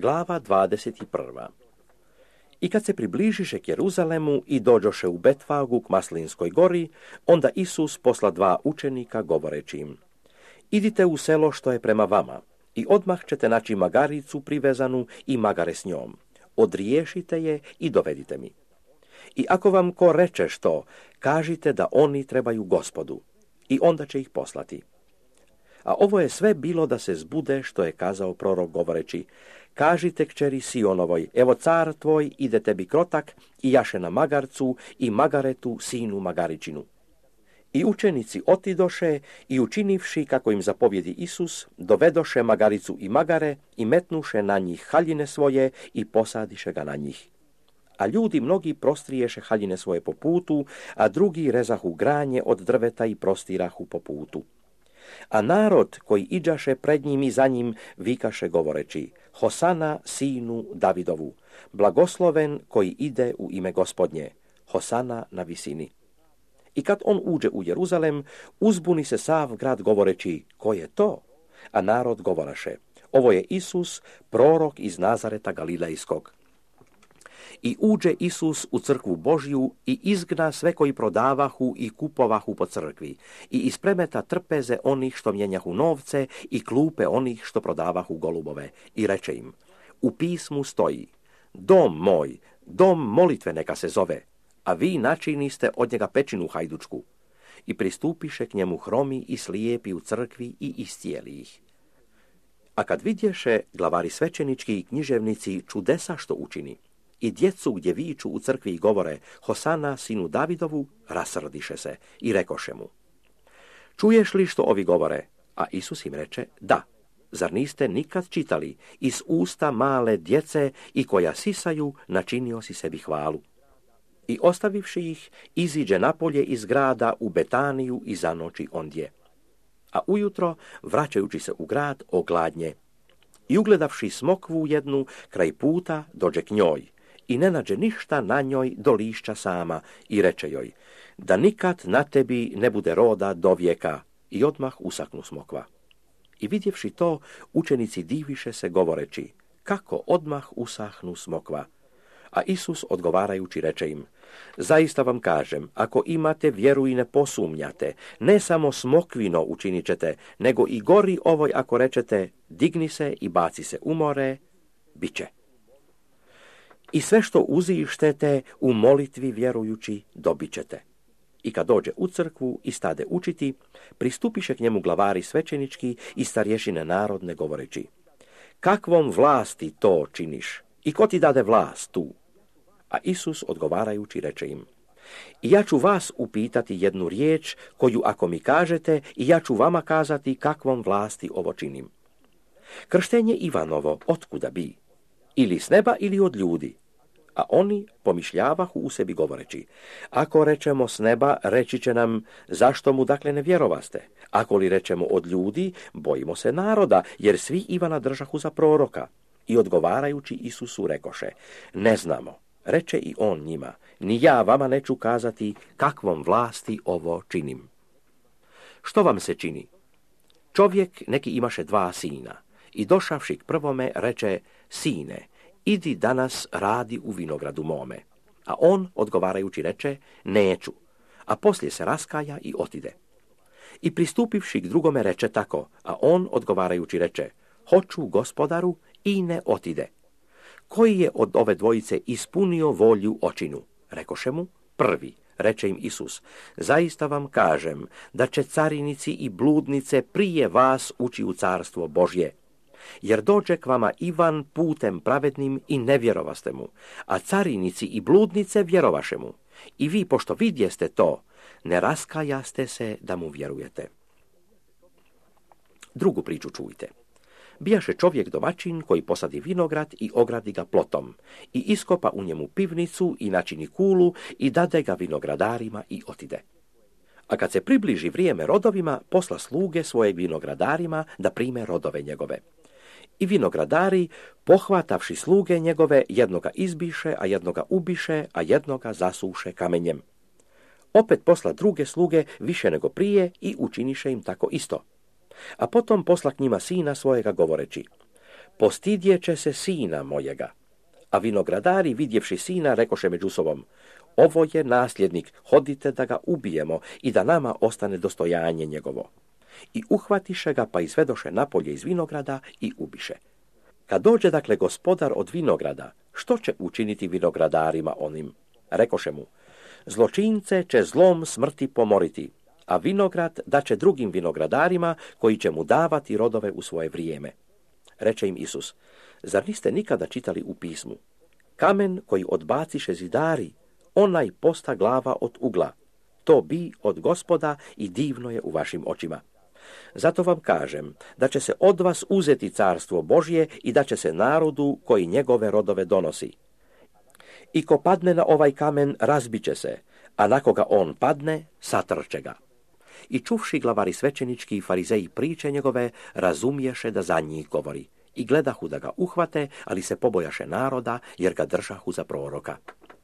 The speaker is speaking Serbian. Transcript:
Glava 21. I kad se približiše k Jeruzalemu i dođoše u Betfagu k Maslinskoj gori, onda Isus posla 2 učenika govoreći im: idite u selo što je prema vama i odmah ćete naći magaricu privezanu i magare s njom. Odriješite je i dovedite mi. I ako vam ko reče što, kažite da oni trebaju Gospodu i onda će ih poslati. A ovo je sve bilo da se zbude što je kazao prorok govoreći: kažite kćeri Sionovoj, evo car tvoj ide tebi krotak i jaše na magarcu i magaretu sinu magaričinu. I učenici otidoše i učinivši kako im zapovjedi Isus, dovedoše magaricu i magare i metnuše na njih haljine svoje i posadiše ga na njih. A ljudi mnogi prostriješe haljine svoje po putu, a drugi rezahu granje od drveta i prostirahu po putu. A narod koji iđaše pred njim i za njim vikaše govoreći: Hosana sinu Davidovu, blagosloven koji ide u ime Gospodnje, Hosana na visini. I kad on uđe u Jeruzalem, uzbuni se sav grad govoreći: ko je to? A narod govoraše: ovo je Isus, prorok iz Nazareta Galilejskog. I uđe Isus u crkvu Božju i izgna sve koji prodavahu i kupovahu po crkvi i ispremeta trpeze onih što mjenjahu novce i klupe onih što prodavahu golubove i reče im: u pismu stoji: dom moj, dom molitve neka se zove, a vi načiniste od njega pećinu hajdučku. I pristupiše k njemu hromi i slijepi u crkvi i iscijeli ih. A kad vidješe glavari svećenički i književnici čudesa što učini, i djecu gdje viču u crkvi i govore: Hosana sinu Davidovu, rasrdiše se i rekoše mu: čuješ li što ovi govore? A Isus im reče: da. Zar niste nikad čitali: iz usta male djece i koja sisaju načinio si sebi hvalu? I ostavivši ih, iziđe napolje iz grada u Betaniju i zanoći ondje. A ujutro, vraćajući se u grad, ogladnje. I ugledavši smokvu jednu kraj puta, dođe k njoj i ne nađe ništa na njoj do lišća sama i reče joj: da nikad na tebi ne bude roda do vijeka. I odmah usaknu smokva. I vidjevši to, učenici diviše se govoreći: kako odmah usahnu smokva? A Isus odgovarajući reče im: zaista vam kažem, ako imate vjeru i ne posumnjate, ne samo smokvino učinit ćete, nego i gori ovoj ako rečete: digni se i baci se u more, bit će. I sve što uzištete u molitvi vjerujući, dobit ćete. I kad dođe u crkvu i stade učiti, pristupiše k njemu glavari svećenički i starješine narodne govoreći: kakvom vlasti to činiš? I ko ti dade vlast tu? A Isus odgovarajući reče im: i ja ću vas upitati jednu riječ, koju ako mi kažete, i ja ću vama kazati kakvom vlasti ovo činim. Krštenje Ivanovo otkuda bi? Ili s neba ili od ljudi? A oni pomišljavahu u sebi govoreći: ako rečemo s neba, reći će nam: zašto mu dakle ne vjerovaste? Ako li rečemo od ljudi, bojimo se naroda, jer svi Ivana držahu za proroka. I odgovarajući Isusu rekoše: ne znamo. Reče i on njima: ni ja vama neću kazati kakvom vlasti ovo činim. Što vam se čini? Čovjek neki imaše 2 sina i došavši k prvome reče: sine, idi danas radi u vinogradu mome. A on odgovarajući reče: neću. A poslije se raskaja i otide. I pristupivši k drugome reče tako, a on odgovarajući reče: hoću, gospodaru, i ne otide. Koji je od ove dvojice ispunio volju očinu? Rekoše mu: prvi. Reče im Isus: zaista vam kažem da će carinici i bludnice prije vas ući u carstvo Božje. Jer dođe k vama Ivan putem pravednim i ne vjerovaste mu, a carinici i bludnice vjerovaše mu. I vi, pošto vidjeste to, ne raskajaste se da mu vjerujete. Drugu priču čujte. Bijaše čovjek domaćin koji posadi vinograd i ogradi ga plotom i iskopa u njemu pivnicu i načini kulu i dade ga vinogradarima i otide. A kad se približi vrijeme rodovima, posla sluge svojeg vinogradarima da prime rodove njegove. I vinogradari, pohvatavši sluge njegove, jednoga izbiše, a jednoga ubiše, a jednoga zasuše kamenjem. Opet posla druge sluge više nego prije i učiniše im tako isto. A potom posla k njima sina svojega govoreći: postidjeće se sina mojega. A vinogradari, vidjevši sina, rekoše među sobom, ovo je nasljednik, hodite da ga ubijemo i da nama ostane dostojanje njegovo. I uhvatiše ga, pa izvedoše napolje iz vinograda i ubiše. Kad dođe dakle gospodar od vinograda, što će učiniti vinogradarima onim? Rekoše mu, zločince će zlom smrti pomoriti, a vinograd daće drugim vinogradarima koji će mu davati rodove u svoje vrijeme. Reče im Isus, zar niste nikada čitali u pismu? Kamen koji odbaciše zidari, onaj posta glava od ugla. To bi od Gospoda i divno je u vašim očima. Zato vam kažem da će se od vas uzeti carstvo Božje i da će se narodu koji njegove rodove donosi. I ko padne na ovaj kamen, razbit će se, a na koga on padne, satrče ga. I čuvši glavari svećenički i farizeji priče njegove, razumješe da za njih govori. I gledahu da ga uhvate, ali se pobojaše naroda, jer ga držahu za proroka.